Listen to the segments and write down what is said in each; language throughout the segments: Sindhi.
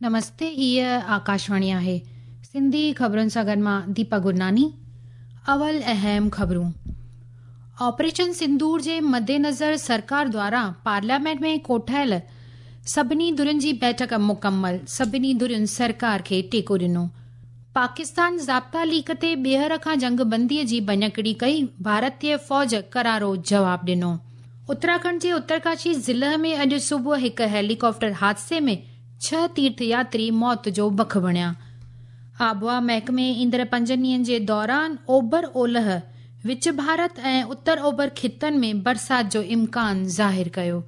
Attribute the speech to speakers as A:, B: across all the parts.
A: نمستي هيء آڪاشواڻي آهي سنڌي خبرن سان گڏ مان ديپا گرناني اول اهم خبرون آپريشن سندور جي مدنظر سرڪار دواران پارليامينٽ ۾ ڪوٺايل سڀني ڌرين جي بيٺڪ مڪمل، سڀني ڌرين سرڪار کي ٽيڪو ڏنو. پاڪستان ضابطا ليڪ تي ٻيهر کان جنگبندي جي ڀڃڪڙي ڪئي، ڀارتي فوج ڪرارو جواب ڏنو. اتراکنڊ جي اترڪاشي ضلع ۾ اڄ صبح هڪ هيليڪاپٽر حادثي ۾ ڇهه تيرٿ ياتري موت جو بک بڻيا. آبهوا محڪمي ايندڙ پنجن ڏينهن جي دوران اوڀر اولهه، وچ ڀارت ۽ اتر اوڀر خطن ۾ برسات جو امڪان ظاهر ڪيو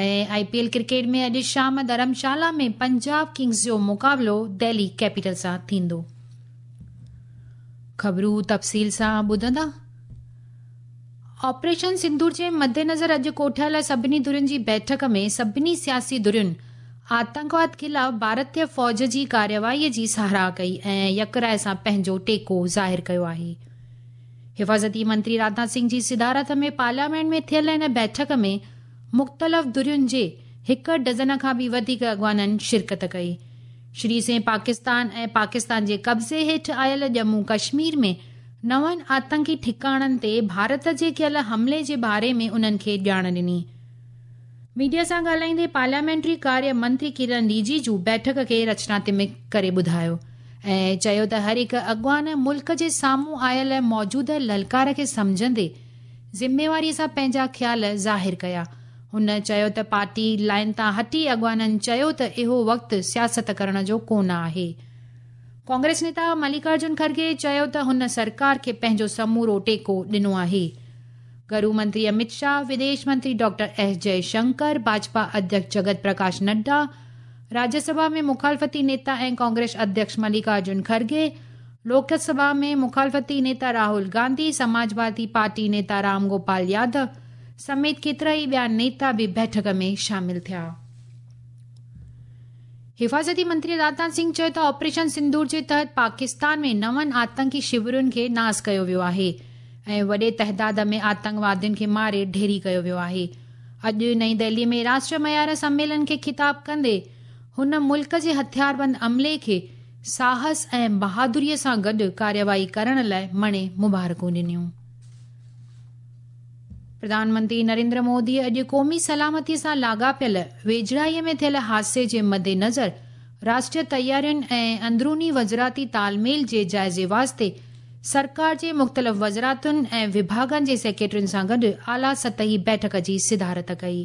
A: ۽ آء پي ايل ڪرڪيٽ ۾ اڄ شام ڌرمشالا ۾ پنجاب ڪنگز جو مقابلو دهلي ڪيپيٽل سان ٿيندو. خبرون تفصيل سان ٻڌندا. آپريشن سندور جي مدنظر اڄ ڪوٺايل سڀني ڌرين جي بيٺڪ ۾ سڀني سياسي ڌرين آتنڪواد خلاف ڀارتي فوج جي ڪارروائي جي ساراهه ڪئي ۽ يڪراء سان پنهنجو ٽيڪو ظاهر ڪيو آهي. حفاظتي منتري راجناٿ سنگهه جي صدارت ۾ پارليامينٽ ۾ ٿيل ان بيٺڪ ۾ مختلف ڌرين جي هڪ ڊزن کان به وڌيڪ اڳواڻن شرڪت ڪئي. شري سنگهه پاڪستان ۽ پاڪستان جي قبضي هيٺ آيل ڄمون ڪشمير ۾ نون آتنڪي ٺڪاڻن تي ڀارت جي ڪيل حملي جي باري ۾ انهن کي ڄاڻ ڏني. ميڊيا سان ڳالهائيندي پارليامينٽري ڪاريه منتري ڪرن رجيجو بيٺڪ کي رچناتمڪ ڪري ٻڌايو ۽ چيو ته هر هڪ اڳواڻ ملڪ جي سامهون آيل موجوده للڪار کي سمجهندي ذميواري سان پنهنجا خيال ظاهر ڪيا. هن چيو ته پارٽي لائين تان هٽي اڳواڻن چيو ته اهو وقت سياست ڪرڻ جو ڪونه آهي. ڪانگريس نيتا ملڪارجن کرگي چيو ته هن سرڪار کي پنهنجو سمورو ٽيڪو ڏنو آهي. گهرو منتري امت شاهه، وديش منتري ڊاڪٽر ايس جئي شنڪر، ڀاجپا اڌيڪش جگت پرڪاش نڊا، راجيه سڀا ۾ مخالفتي نيتا ۽ ڪانگريس اڌيڪش ملڪارجن کرگي، لوڪ سڀا ۾ مخالفتي نيتا راهول گانڌي، سماجوادي پارٽي نيتا رام گوپال يادو سميت ڪيترائي ٻيا نيتا به بيٺڪ ۾ شامل ٿيا. حفاظتي منتري راجناٿ سنگهه چيو ته آپريشن سندور جي تحت پاڪستان ۾ نون آتنڪي شورن کي ناس ڪيو ويو آهي ۽ وڏي تعداد ۾ آتنڪوادين کي ماري ڍيري ڪيو ويو آهي. اڄ نئين دهلي ۾ راشٽريه معيار سميلن کي خطاب ڪندي هن ملڪ جي هٿياربند عملي کي ساهس ۽ بهادري سان گڏ ڪارروائي ڪرڻ لاء مڻي مبارڪون ڏنيون. پرڌان منتري نريندر مودي اڄ قومي سلامتي سان لاڳاپيل ويجهڙائي ۾ ٿيل حادثي جي مدنظر راشٽريه تيارين ۽ اندروني وزارتي تالميل جي جائزي واسطي سرڪار جي مختلف وزارتن ۽ وڀاڳن جي سيڪريٽرين سان گڏ اعليٰ سطحي بيٺڪ جي صدارت ڪئي.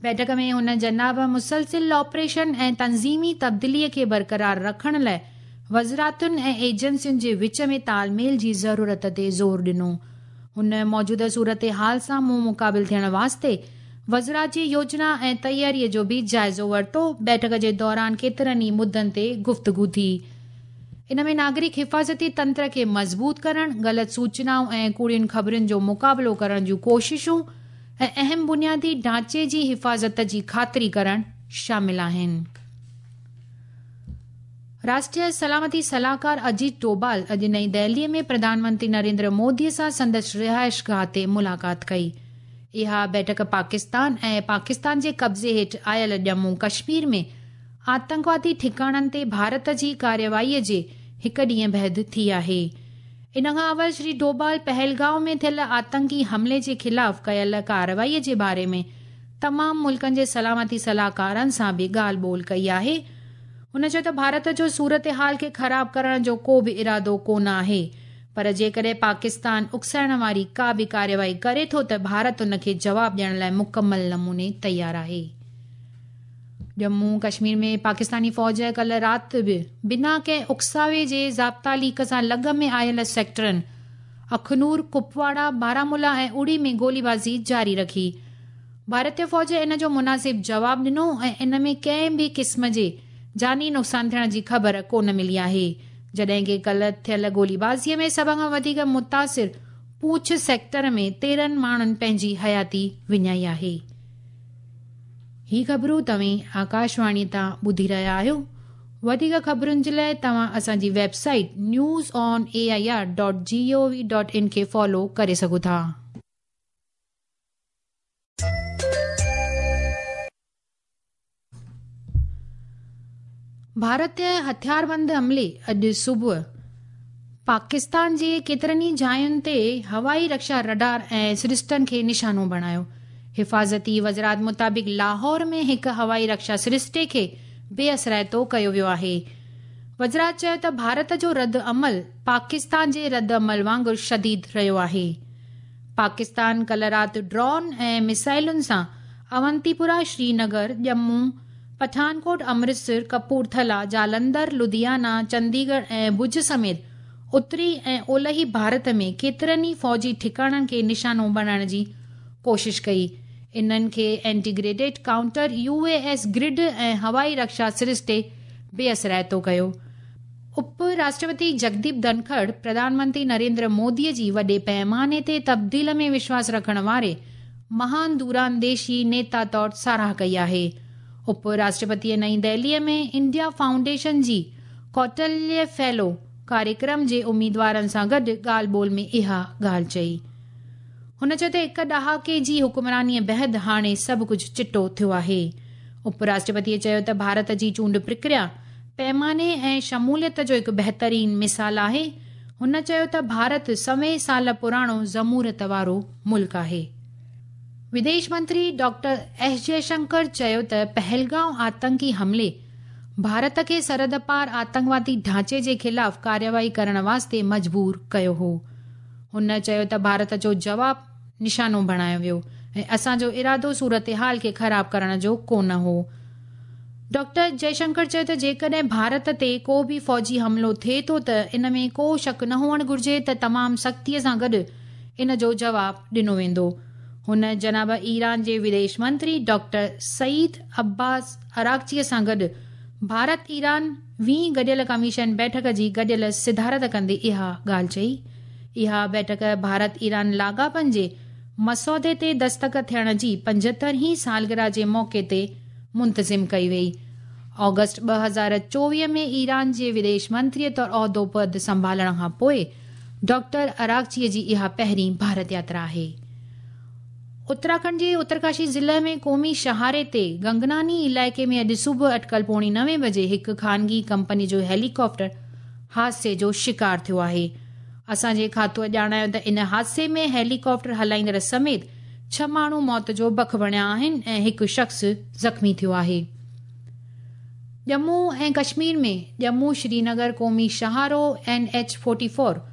A: بيٺڪ ۾ هن جناب مسلسل آپريشن ۽ تنظيمي تبديلي کي برقرار رکڻ لاء وزارتن ۽ ايجنسين جي وچ ۾ تالميل جي ضرورت تي زور ڏنو. هن موجوده صورتحال سان منهن مقابل ٿيڻ واسطي وزارت جي يوجنا ۽ تياري جو به جائزو ورتو. بيٺڪ جي دوران ڪيترن ئي مدن تي گفتگو ٿي. ان ۾ ناگرڪ حفاظتي تنتر کي مضبوط ڪرڻ، غلط سوچنائون ۽ ڪوڙين خبرن جو مقابلو ڪرڻ جون ڪوششون ۽ اهم بنيادي ڍانچي جي حفاظت جي خاطري ڪرڻ شامل آهن. راشٽريه سلامتي صلاحڪار اجيت ڊوڀال اڄ نئين دهلي ۾ پرڌان منتري نريندر مودي سان سندس رهائشگاهه تي ملاقات ڪئي. اها بيٺڪ پاڪستان ۽ پاڪستان جي قبضي هيٺ آيل ڄمون ڪشمير ۾ آتنڪوادي ٺڪاڻن تي ڀارت جي ڪارروائي جي هڪ ڏينهن بعد ٿي آهي. ان کان اول شري ڊوڀال پهلگائون ۾ ٿيل آتنڪي حملي جي خلاف ڪيل ڪارروائي جي باري ۾ تمام ملڪن جي سلامتي صلاحڪارن سان به ڳالهه ٻولهه ڪئي آهي. هن چيو ته ڀارت جو صورتحال کي خراب ڪرڻ جو ڪو به ارادو ڪونه آهي پر جيڪڏهن پاڪستان اڪسائڻ واري ڪا به ڪارروائي ڪري ٿو ته ڀارت ان کي جواب ڏيڻ لاء مڪمل نموني تيار آهي. ڄمون ڪشمير ۾ پاڪستاني فوج ڪلهه رات به بنا ڪنهن اڪساوي جي ضابطا ليڪ سان لڳ ۾ آيل سيڪٽرن اخنور، ڪپواڙا، بارامولا ۽ اڙي ۾ گوليبازي جاري رکي. ڀارتي فوج ان جو مناسب جواب ڏنو ۽ ان ۾ ڪنهن به قسم جي جاني نقصان ٿيڻ جي خبر ڪونه ملي آهي. جڏهن ڪه ڪلهه ٿيل گوليبازي ۾ سڀ کان وڌيڪ متاثر پونڇ سيڪٽر ۾ 13 ماڻهن پنهنجي حياتي وڃائي آهي. هي خبرون توهين آڪاشواڻي تان ٻڌي رهيا آهيو. وڌيڪ خبرن جي لاءِ توهان اسان جي web site news on A I R dot G O V dot in کي فالو ڪري سگهو ٿا. ڀارتي هٿياربند عملي اڄ صبح پاڪستان جي ڪيترن ئي جاين تي هوائي رڪشا رڊار ۽ سرشتن کي نشانو بڻايو. حفاظتي وزارت مطابق لاهور ۾ هڪ هوائي رڪشا سرشتي کي بي اثرائتو ڪيو ويو آهي. وزارت چيو ته ڀارت جو رد عمل پاڪستان جي رد عمل وانگر شديد رهيو آهي. پاڪستان ڪلهه رات ڊرون ۽ ميزائلن سان اونتيپورا، شرينگر، ڄمون، پٺانڪوٽ، امرتسر، ڪپورٿلا، جالنڌر، لڌيانا، چنديڳڙهه ۽ ڀڄ سميت اتري ۽ اولهي ڀارت ۾ ڪيترن ئي فوجي ٺڪاڻن کي نشانو بڻائڻ جي ڪوشش ڪئي. انهن کي integrated counter U A S grid ۽ هوائي رڪشا سرشتي بي اثرائتو ڪيو. اپ راشٽرپتي جگديپ ڌنکڙ پرڌان منتري نريندر مودي جي وڏي پيماني تي تبديل ۾ وشواس رکڻ واري مهان دورانديشي نيتا طور ساراهه ڪئي آهي. اپ راشٽرپتيء نئين دهليء ۾ انڊيا فائونڊيشن جي ڪوٽليه فيلو ڪاريڪرم جي اميدوارن سان گڏ ڳالهه ٻولهه ۾ اها ڳالهه چئي. هن چيو ته هڪ ڏهاڪي جي حڪمرانيء بعد هاڻي سڀ ڪجهه چٽو ٿيو آهي. اپ راشٽرپتيء چيو ته ڀارت جي چونڊ پرڪريا پيماني ۽ شموليت جو هڪ بهترين مثال آهي. هن چيو ته ڀارت سوين سال پراڻو جمهوريت وارو ملڪ آهي. وديش منتري ڊاڪٽر ايس جئشنڪر چيو ته پهلگائون آتنڪي حملي ڀارت کي سرحد پار آتنڪوادي ڍانچي جي خلاف ڪارروائي ڪرڻ واسطي مجبور ڪيو هو. هن چيو ته ڀارت جو جواب نشانو بڻايو ويو ۽ اسان جو ارادو صورتحال کي خراب ڪرڻ جو ڪونه هو. ڊاڪٽر جئشنڪر چيو ته جيڪڏهن ڀارت تي ڪو به فوجي حملو ٿئي ٿو ته ان ۾ ڪو شڪ نه هئڻ گهرجي ته تمام سختيء سان گڏ ان جو جواب ڏنو ويندو. هن جناب ايران جي وديش منتري ڊاڪٽر سعيد عباس عراقچيء سان گڏ ڀارت ايران ويهين گڏيل ڪميشن بيٺڪ جي گڏيل صدارت ڪندي اها ڳالهه چئي. اها بيٺڪ ڀارت ايران لاڳاپن جي مسودي تي دستخط ٿيڻ جي 75 هين سالگرهه جي موقعي تي منتظم ڪئي وئي. آگسٽ 2024 ۾ ايران جي وديش منتري طور عهدو پد سنڀالڻ کان پوء ڊاڪٽر عراقچيء جي اها پهرين ڀارت ياترا آهي. اتراکنڊ جي اترڪاشي ضلعي ۾ قومي شاهراهه تي گنگناني علائقي ۾ اڄ صبح اٽڪل 8:45 بجي هڪ خانگي ڪمپني جو هيليڪاپٽر حادثي جو شڪار ٿيو آهي. اسان جي کاتوء ڄاڻايو ته ان حادثي ۾ هيليڪاپٽر هلائيندڙ سميت 6 ماڻهو موت جو بک بڻيا آهن ۽ هڪ شخص زخمي ٿيو آهي. ڄمون ۽ ڪشمير ۾ ڄمون شرينگر قومي شاهراهه اين ايڇ 44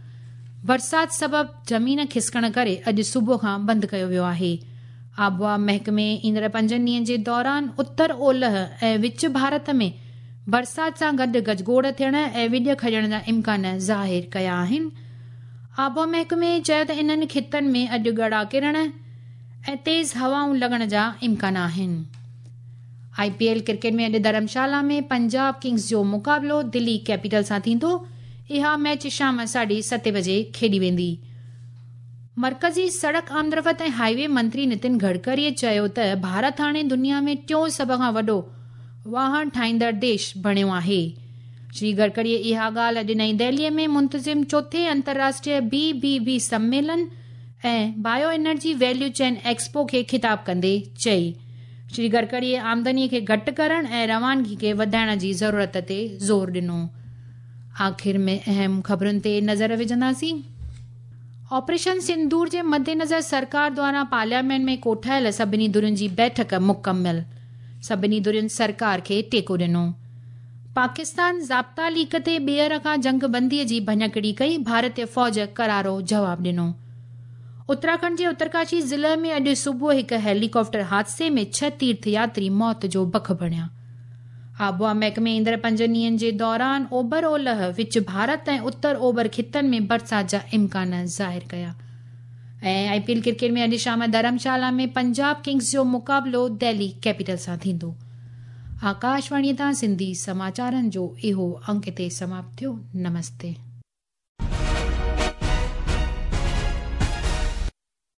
A: برسات سبب زمين کسڪڻ ڪري اڄ صبح کان بند ڪيو ويو آهي. آبهوا محڪمي ايندڙ 5 ڏينهن جي دوران اتر اولهه ۽ وچ ڀارت ۾ برسات سان گڏ گجگوڙ ٿيڻ ۽ وڄ کڄڻ جا امڪان ظاهر ڪيا آهن. آبهوا محڪمي چيو ته انهن خطن ۾ اڄ ڳڙا ڪرڻ ۽ تيز هوائون لڳڻ جا امڪان آهن. آء پي ايل ڪرڪيٽ ۾ اڄ ڌرمشالا ۾ پنجاب ڪنگز جو مقابلو دلي ڪيپيٽل سان ٿيندو. اها ميچ شام 7:30 بجي کيڏي ويندي. مرڪزي سڙڪ آمدرفت ۽ هاء وي منتري نتن گڊڪريء چيو ته ڀارت هاڻي دنيا ۾ ٽيون سڀ کان وڏو واهڻ ٺاهيندڙ ديش بڻيو آهي. شري گڊڪريء اها ڳالهه اڄ نئين دهليء ۾ منتظم چوٿين انترراشٽريه بي بي بي سميلن ۽ bio energy value chain expo کي خطاب ڪندي چئي. شري گڊڪريء آمدنيء کي گهٽ ڪرڻ ۽ روانگي کي وڌائڻ جي ضرورت تي زور ڏنو. آخر ۾ اهم خبرن تي نظر وجهنداسين. آپريشن سندور جي مدنظر سرڪار دواران پارليامينٽ ۾ ڪوٺايل سڀني ڌرين جي بيٺڪ مڪمل. سڀني ڌرين سرڪار کي ٽيڪو ڏنو. پاڪستان ضابطا ليڪ تي ٻيهر کان جنگ بندي جي ڀڃڪڙي ڪئي، ڀارتي فوج ڪرارو جواب ڏنو. اتراکنڊ جي اترڪاشي ضلعي ۾ اڄ صبح هڪ هيليڪاپٽر حادثي ۾ 6 تيرٿ ياتري موت جو بک بڻيا. آبهوا محڪمي ايندڙ 5 ڏينهن جي دوران اوڀر اولهه، وچ ڀارت ۽ اتر اوڀر خطن ۾ برسات جا امڪان ظاهر ڪيا. ۽ آء پي ايل ڪرڪيٽ ۾ اڄ شام ڌرمشالا ۾ پنجاب ڪنگز جو مقابلو دهلي ڪيپيٽل سان ٿيندو. آڪاشواڻيء تان سنڌي سماچارن جو اهو انڪ هتي سماپت ٿيو. نمستي.